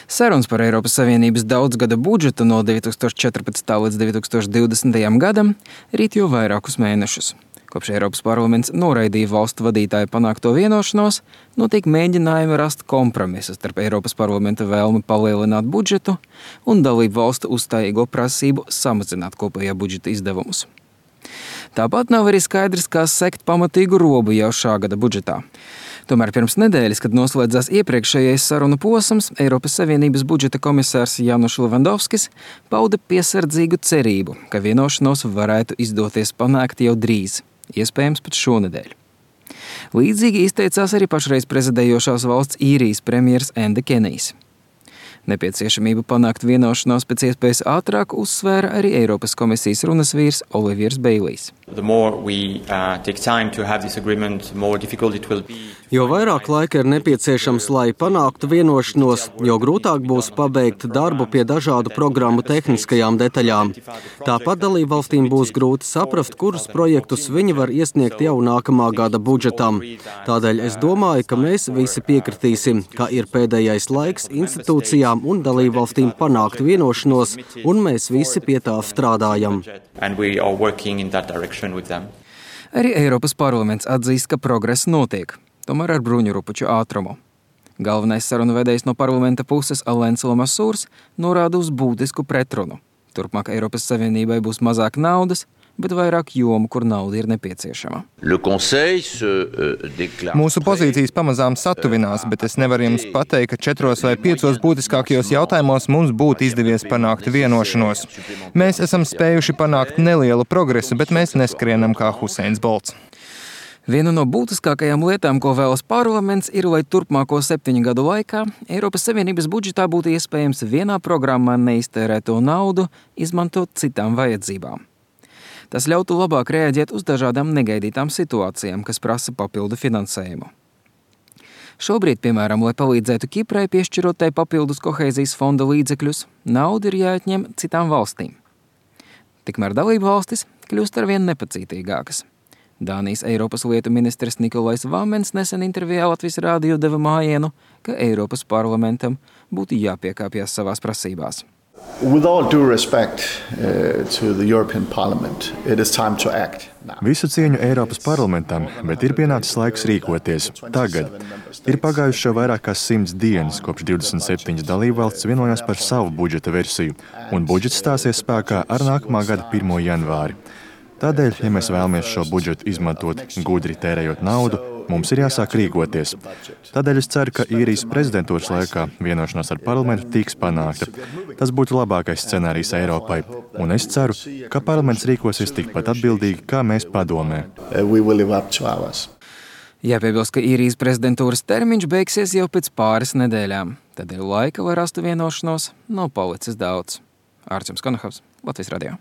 Sarunas par Eiropas Savienības daudzgada budžetu no 2014. līdz 2020. gadam rīt jau vairākus mēnešus. Kopš Eiropas parlaments noraidīja valstu vadītāju panākto vienošanos, notiek mēģinājumi rast kompromisu starp Eiropas parlamenta vēlmi palielināt budžetu un dalību valstu uzstājīgo prasību samazināt kopējā budžeta izdevumus. Tāpat nav arī skaidrs, kā sekt pamatīgu robu jau šā gada budžetā. Tomēr pirms nedēļas, kad noslēdzās iepriekšējais sarunu posms, Eiropas Savienības budžeta komisārs Januš Levandovskis pauda piesardzīgu cerību, ka vienošanos varētu izdoties panākt jau drīz, iespējams pat šonedēļ. Līdzīgi izteicās arī pašreiz prezidējošās valsts Īrijas premjers Enda Kenijs. Nepieciešamību panākt vienošanos pēc iespējas ātrāk uzsvēra arī Eiropas komisijas runas vīrs Oliviers Beilijs. Jo vairāk laika ir nepieciešams, lai panāktu vienošanos, jo grūtāk būs pabeigt darbu pie dažādu programmu tehniskajām detaļām. Tāpat dalībvalstīm būs grūti saprast, kurus projektus viņi var iesniegt jau nākamā gada budžetam. Tādēļ es domāju, ka mēs visi piekritīsim, ka ir pēdējais laiks institūcijām un dalībvalstīm panākt vienošanos, un mēs visi pie tā strādājam. Arī Eiropas parlaments atzīst, ka progress notiek, tomēr ar bruņurupuču ātrumu. Galvenais sarunu vedējs no parlamenta puses Alains Lamasūrs norāda uz būtisku pretrunu. Turpmāk Eiropas Savienībai būs mazāk naudas, bet vairāk jomu, kur nauda ir nepieciešama. Mūsu pozīcijas pamazām satuvinās, bet es nevaru jums pateikt, ka 4 vai 5 būtiskākajos jautājumos mums būtu izdevies panākt vienošanos. Mēs esam spējuši panākt nelielu progresu, bet mēs neskrienam kā Huseins Bolts. Viena no būtiskākajām lietām, ko vēlas parlaments, ir, lai turpmāko 7 gadu laikā Eiropas Savienības budžetā būtu iespējams vienā programmā neiztērēto naudu izmantot citām vajadzībām. Tas ļautu labāk reaģēt uz dažādām negaidītām situācijām, kas prasa papildu finansējumu. Šobrīd, piemēram, lai palīdzētu Kiprai piešķirot tai papildus kohēzijas fonda līdzekļus, nauda ir jāatņem citām valstīm. Tikmēr dalību valstis kļūst arvien nepacītīgākas. Dānijas Eiropas lietu ministrs Nikolais Vāmens nesen intervijā Latvijas rādio deva mājienu, ka Eiropas parlamentam būtu jāpiekāpjas savās prasībās. With all due respect to the European Parliament, it is time to act now. Visu cieņu Eiropas parlamentam, bet ir pienācis laiks rīkoties. Tagad ir pagājuši jau vairāk kā 100 dienas, kopš 27 dalībvalstis vienojās par savu budžeta versiju, un budžets stāsies spēkā ar nākamā gada 1. janvāri. Tādēļ, ja mēs vēlamies šo budžetu izmantot gudri tērējot naudu, mums ir jāsāk rīkoties. Tādēļ es ceru, ka Īrijas prezidentūras laikā vienošanās ar parlamentu tiks panākta. Tas būtu labākais scenārijs Eiropai, un es ceru, ka parlaments rīkosies tikpat atbildīgi, kā mēs padomē. Jāpiebilst, ka Īrijas prezidentūras termiņš beigsies jau pēc pāris nedēļām. Tādēļ laika, lai rastu vienošanos, nav palicis daudz. Ārčuns Konahavs, Latvijas radio.